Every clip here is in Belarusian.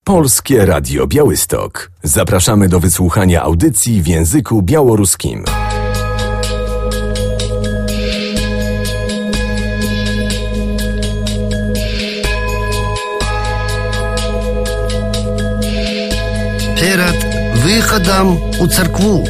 Polskie Radio Białystok. Zapraszamy do wysłuchania audycji w języku białoruskim. Перед выходом у церкву.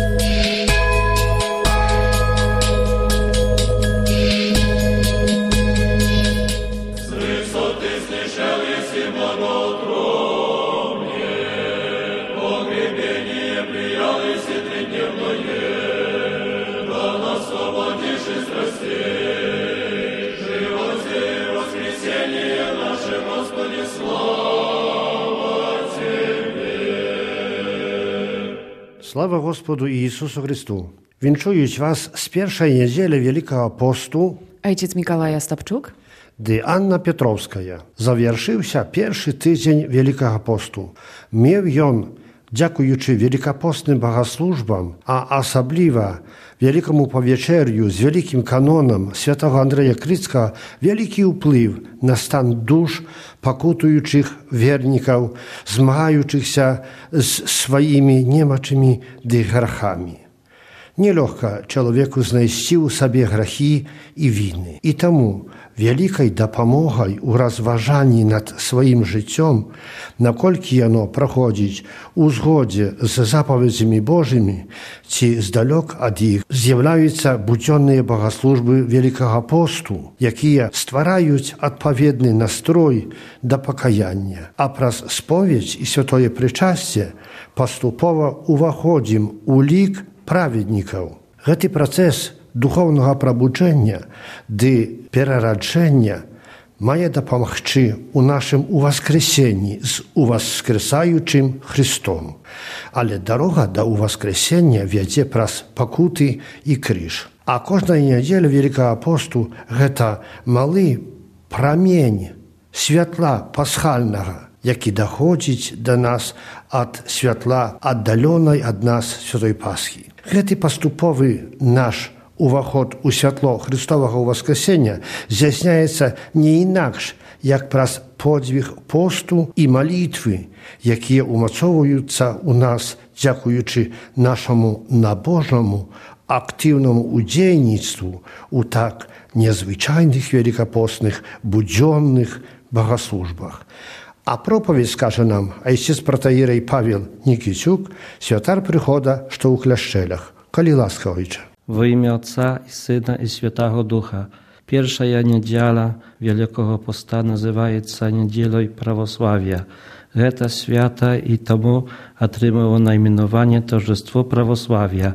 Слава Господу Иисусу Христу! Вінчують вас з першої неділі Великого посту Ojciec Mikołaj Ostapczuk, де Анна Петровська. Завершився перший тиждень Великого посту. Мев ён, дякуючи великопостним богослужбам, а особливо Великому повечерю з великим каноном святого Андрея Крицького, великий вплив на стан душ покутуючих верників, змагаючихся з своїми немочими ды грехами. Нелегко человеку знайсці ў сабе грехи и вины. И тому великой допомогой у разважанні над своим жыццём, наколькі яно праходзіць у згодзе з заповедзямі Божымі, ці здалёк ад іх, з'яўляюцца будзённыя богослужбы Великого посту, якія ствараюць адпаведны настрой да пакаяння. А праз споведь і святое прычасце паступова уваходзім у лік праведнікаў. Гэты працэс духоўнага прабуджэння ды перараджэння мае дапамагчы ў нашым уваскрэсенні з уваскрэсаючым Христом. Але дарога да уваскрэсення вядзе праз пакуты і крыж. А кожная нядзеля Великого посту гэта малы прамень святла пасхальнага, які даходзіць да нас ад святла аддалёнай ад нас святой Пасхі. Гэты паступовы наш уваход у святло Христовага ўваскрэсення здзяйсняецца не інакш, як праз подзвіг посту і малітвы, якія умацоўваюцца ў нас дзякуючы нашаму набожнаму актыўнаму удзейніцтву у так незвычайных великопостных будзённых богослужбах. А проповедь скаже нам айцец протоіерей Павел Нікітюк, святар прихода, що у Кляшчелях. Коли ласка, ojcze. Во ім'я Отца і Сина і Святого Духа. Перша неділя Великого Поста називається неділою православ'я. Гэта свята і тому отримало найменування Торжество православ'я.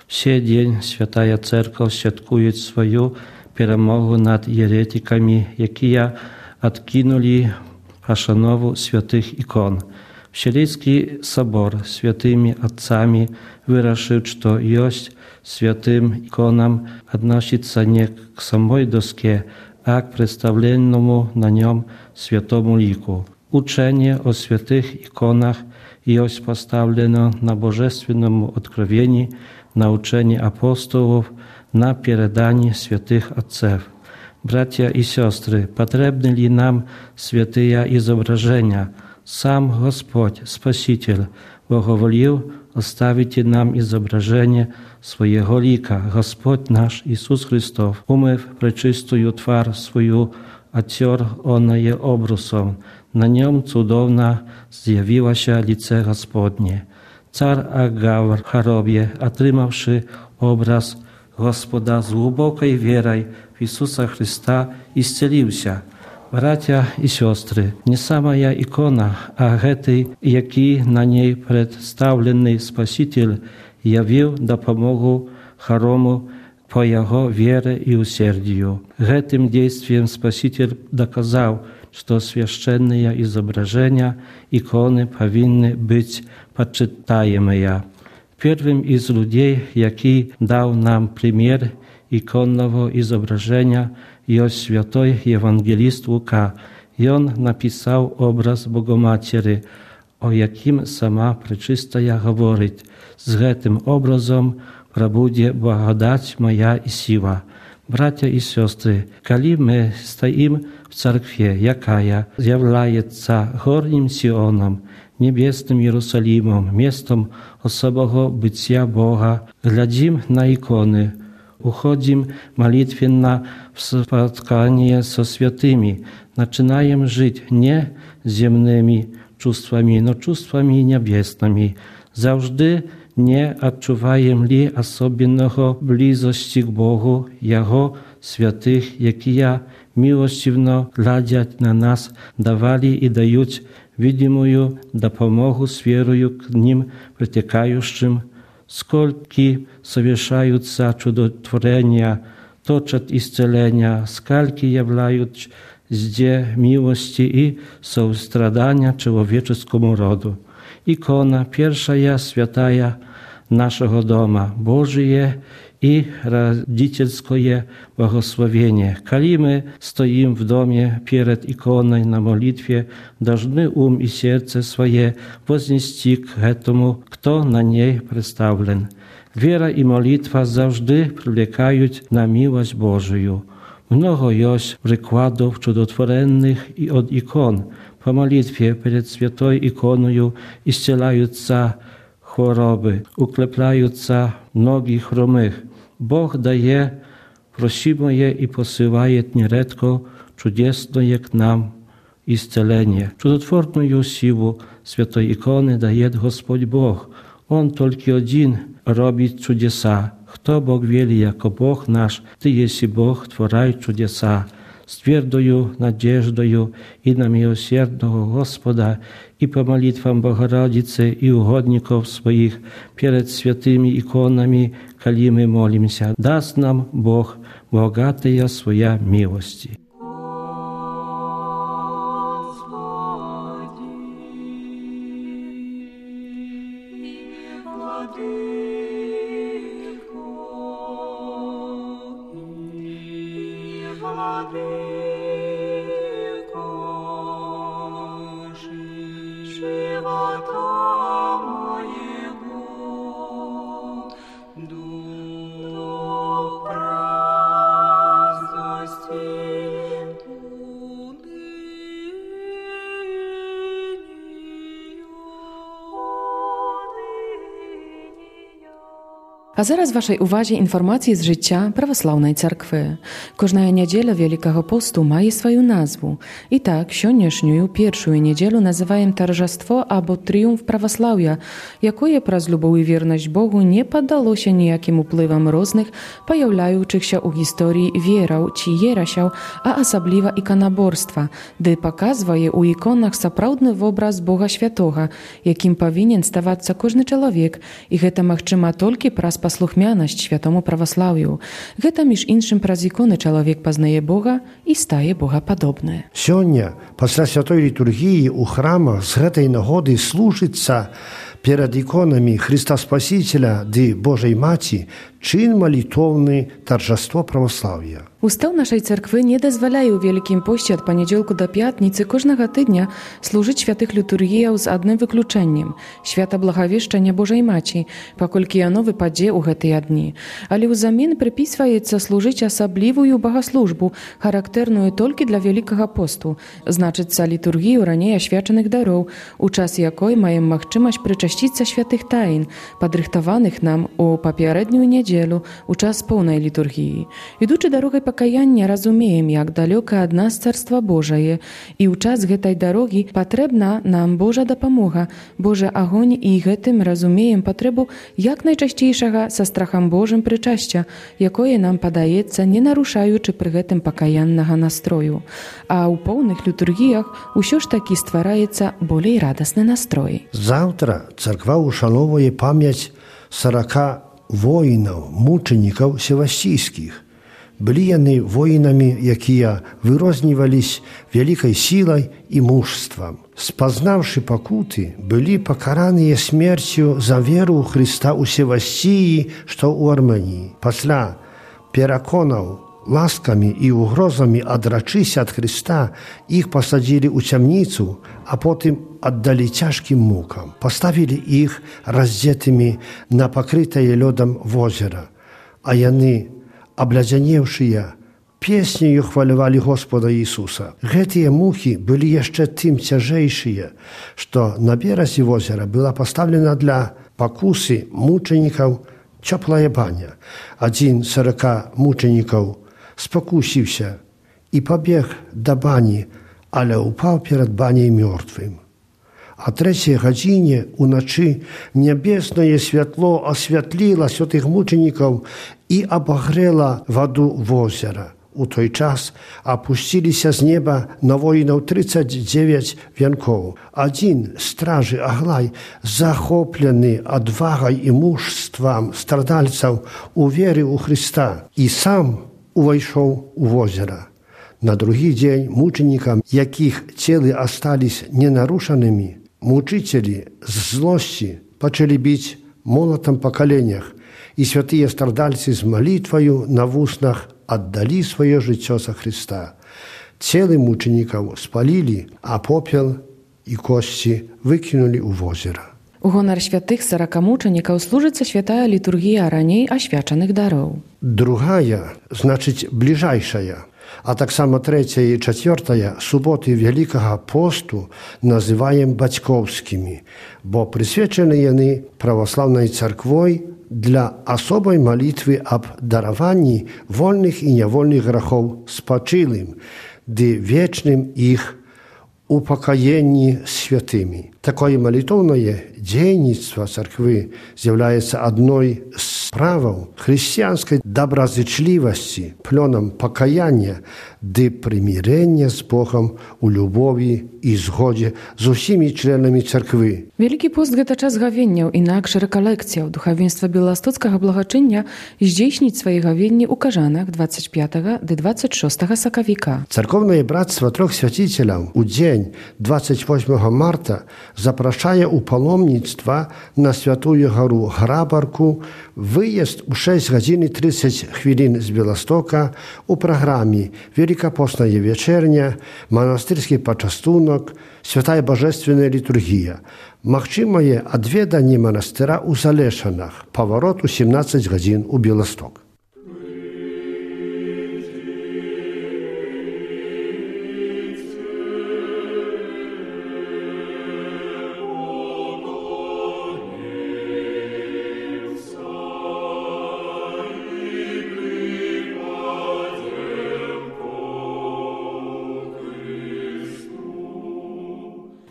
Все день Святая Церковь святкує свою перемогу над єретиками, які откинули пошанову святых икон. Вселенский собор святыми отцами вырашил, что есть святым иконам относится не к самой доске, а к представленному на нем святому лику. Учение о святых иконах есть поставлено на божественному откровении, на учении апостолов, на передании святых отцев. Bracia i siostry, potrzebne li nam święte izobrażenia. Sam Господь, Spasiciel, błogowolił ostawić nam izobrażenie swojego lika. Господь nasz, Isus Chrystus, umyw preczystую twar swoją, ocior ona je obrusą. Na nią cudowna zjawiła się lice Gospodnie. Car Agawr w chorobie, otrzymawszy obraz Господа z głębokiej wierą w Isusa Chrysta isceliwся. Bracia i siostry, nie sama ja ikona, a getej, jaki na niej przedstawiony Spasiciel jawił dopomogę choromu po jego wierze i usierdziu. Гэтym действием Spasiciel dokazał, że święcone izobrażenia, ikony powinny być poczytajemy. Pierwszym z ludzi, jaki dał nam przykład ikonnego izobrażenia, jest święty ewangelist Łuka. I on napisał obraz Bogomatery, o jakim sama Preczystaja mówi. Z tym obrazem prabudzie błagodać moja i siła. Bracia i siostry, kali my stoimy w cerkwie, jakaja zjawляется горним Сионом, niebieskim Jerusalimom, miastem osobowego bycia Boga, глядим na ikony, uchodzim молитвенно w spotkanie со святыми, начинаем żyć nie ziemnymi czувствами, no czувствами niebiesnymi. Zawsze nie odczuwajem li osobnego bliskości k Bogu, Jego świętych, jakie miłostivno глядять na nas, dawali i dają widimую допомогу z wierою k nim притекающим, скольки совершаются чудотворения, точат исцеления, скольки являют зде милости и сострадания человеческому роду. Икона первая святая нашего дома, Божие и родительское благословение. Коли мы стоим в доме перед иконой на молитве, должны ум и сердце свое вознести к этому, кто на ней представлен. Вера и молитва завжди привлекают на милость Божию. Много есть прикладов чудотворенных и от икон. По молитве перед святой иконою исцеляются choroby, uklepляются ноги хромых. Бог дає просимое и посылает нередко чудесное к нам исцеление. Чудотворную силу святой иконы дает Господь Бог. Он только один робит чудеса. Кто Бог вели, яко Бог наш, Ты еси Бог, творай чудеса. З твердою надеждою и на милосердного Господа, и по молитвам Богородицы и угодников своих перед святыми иконами, коли мы молимся, даст нам Бог богатая своя милости. A zaraz waszej uwadze informacje z życia prawosławnej cerkwy. Każda niedziela Wielkiego Postu ma swoją nazwę. I tak, sioniesznią pierwszą niedzielę nazywają торжество albo triumf prawosławia, jakoje przez любов i wierność Bogu nie poddało się nijakim upływom różnych, pojawiających się u historii wierał czy jerasiał, a osobliwa ikonoborstwa, gdy pokazuje u ikonach saprawdny obraz Boga Świętego, jakim powinien stawać każdy człowiek, i to możliwe tylko przez послухмяность świętому православию. Гэта, між іншым, праз іконы чалавек пазнае Бога і стае богападобны. Сёння, пасля святой літургіі ў храмах з гэтай нагоды служыцца перад іконамі Христа Спасителя ды Божай Маці czyn молитовny торжество православия. Устав нашej cerkwy nie dozwalają w Wielkim Poście od poniedziałku do piatnicy każdego tygodnia służyć świętych liturgijów z jednym wykluczeniem – święta Благовещenia Bożej Maci, pokolki ono wypadzie u te dni. Ale uzamin przypisujecie służyć osobliwą bogosłużbę, charakterną tylko dla Wielkiego Postu, znaczyca liturgiju raniej oświadczonych darów, u czas jakiej mają możliwość przycześcić świętych tajn, podrychtowanych nam u poprzednią niedzielę, u czas pełnej liturgii. Idący drogą покаяння разумеем, як далёка ад нас Царства Божае, і ў час гэтай дарогі патрэбна нам Божа дапамога, Божы агонь, і гэтым разумеем патрэбу як найчасцейшага са страхам Божым прычасця, якое нам падаецца, не нарушаючы пры гэтым пакаяннага настрою. А ў поўных літургіях усё ж такі ствараецца болей радасны настрой. Заўтра царква ушановуе памяць 40 воінаў, мучанікаў севастійскіх. Былі яны воінамі, якія вырознівались вялікай сілай і мужствам. Спазнаўшы пакуты, былі пакараныя смерцю за веру ў Хрыста ў Севастіі, што ў Арменіі. Пасля пераконаў ласкамі і угрозамі адрачыся ад Хрыста, іх пасадзілі ў цямніцу, а потым аддалі цяжкім мукам. Паставілі іх раздзетымі на пакрытае лёдам возера, а яны аблядзянеўшыя, песнею хвалявалі Господа Ісуса. Гэтыя мухі былі яшчэ тым цяжэйшыя, што на беразе возера была пастаўлена для пакусы мучанікаў цёплая баня. Адзін з 40 мучанікаў спакусіўся і пабег да бані, але ўпаў перад баняй мёртвым. А 3 гадзіне ўначы нябеснае святло асвятліла святых мучанікаў і абагрэла ваду возера. У той час апусціліся з неба на воінаў 39 вянкоў. Адзін стражы Аглай, захоплены адвагай і мужствам страдальцаў у веры ў Хрыста, і сам увайшоў у возера. На другі дзень мучанікам, якіх целы астались ненарушанымі, мучителі з злосці пачалі біць молатам па каленях, і святыя страдальцы з малітваю на вуснах аддалі сваё жыццё за Хрыста. Целы мучанікаў спалілі, а попел і косці выкінулі ў возера. У гонар святых 40 мучанікаў служыцца святая літургія раней асвячаных дароў. Другая, значыць, бліжайшая, а таксама 3 і 4 суботы Вялікага посту называем бацькоўскімі, бо прысвечаны яны праваслаўнай царквой для асобай малітвы аб дараванні вольных і нявольных грахоў спачылым, ды вечным іх упакаенні святымі. Такое малітоўнае дзейніцтва царквы з'яўляецца адной з справаў хрысціянскай добразычлівасці, плёнам пакаяння ды прымірэння з Богам у любові і згодзе з усімі членамі царквы. Вялікі пост – гэта час гавенняў, інакш рэкалекцыяў. Духавенства беластоцкага благачыння здзейсніць свае гавенні ў Кажанах 25 ды 26 сакавіка. Царкоўнае брацтва трох свяціцеляў у дзень 28 марта запрашае ў паломніцтва на Святую гару Грабарку, выезд у 6 гадзін і 30 хвілін з Беластока, у праграме Великопостная вечерня, монастырский пачастунок, святая божественная літургія. Магчымае адведанне манастыра ў Залешанах, паварот у 17 гадзін у Беласток.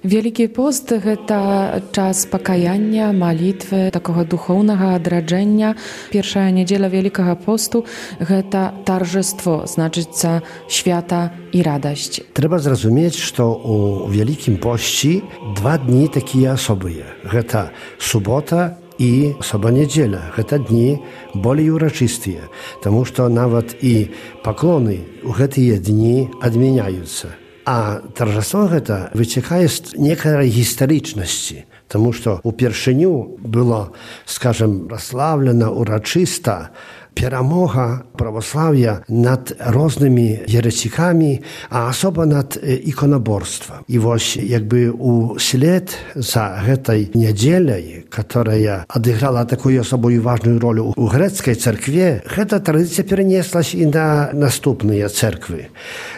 Вялікі пост – гэта час пакаяння, малітвы, такога духоўнага адраджэння. Першая нядзеля Вялікага посту – гэта таржество, значыцца свята і радасць. Трэба зразумець, што ў Вялікім посці 2 дні такія асобыя. Гэта субота і соба-нядзеля. Гэта дні болей урачыстыя, таму што нават і паклоны ў гэтыя дні адмяняюцца. А торжество гэта выцякае з некай гістарычнасці, таму што упершыню было, скажем, праслаўлена урачыста перамога праваслаўя над рознымі ерэсікамі, а асоба над іконаборствам. І вось якby услед за гэтай нядзеляй, которая адыграла такую асобую важную ролю у грэцкай царкве, гэта традыцыя перанеслась і на наступныя церквы.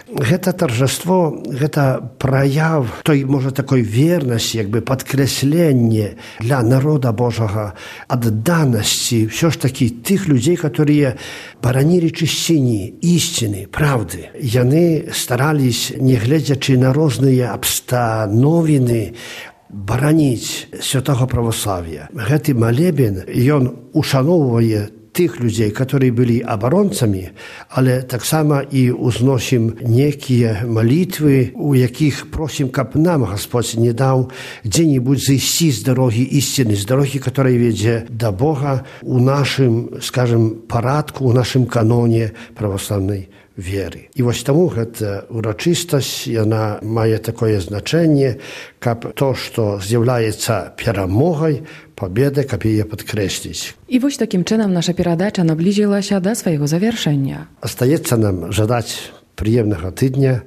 Гэта торжество, гэта праяв той, можа, такой вернасці, якby падкрэсленне для народа Божага, адданасці, ўсё ж такі тых людзей, которые баранілі чысціні, ісціны, правды. Яны старались, не гледзячы на розныя абстановіны, бараніць святого православия. Гэты малебен, ён ушаноўвае тых людзей, которые былі абаронцамі, але таксама і узносім некія малітвы, у якіх просім, каб нам Господь не даў дзе-нибудь зайсці з дарогі ісціны, з дарогі, которая ведзе да Бога у нашым, скажем, парадку, у нашым каноне православнай веры. І вось таму гэта урачыстасць, яна мае такое значэнне, каб то, што з'яўляецца перамогай, победы, каб яе падкрэсліць. І вось такім чынам наша перадача наблізілася да свайго завяршэння. Астаецца нам жадаць прыемнага тыдня,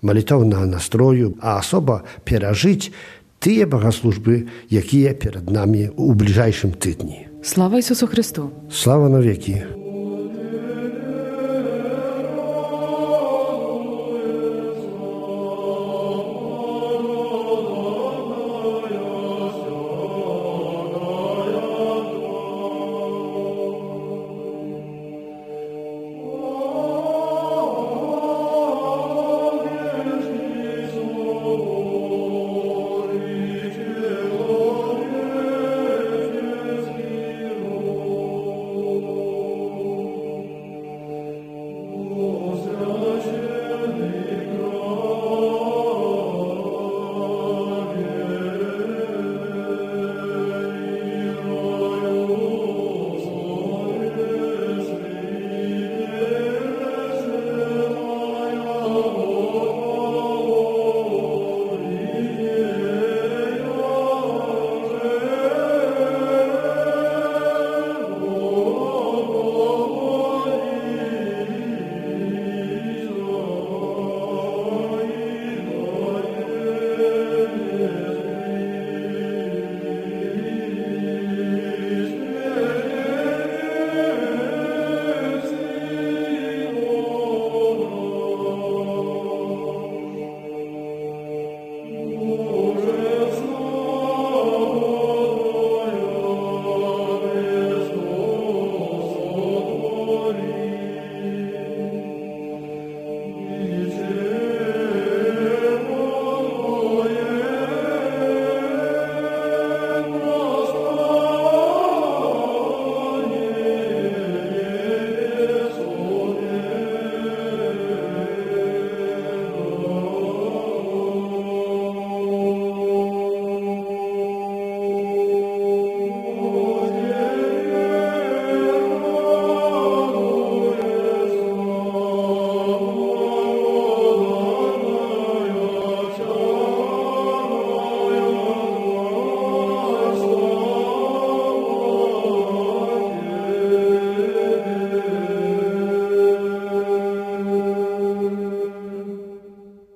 малітоўнага настрою, а асоба перажыць тыя богаслужбы, якія перад намі ў бліжэйшым тыдні. Слава Ісусу Христу! Слава навекі!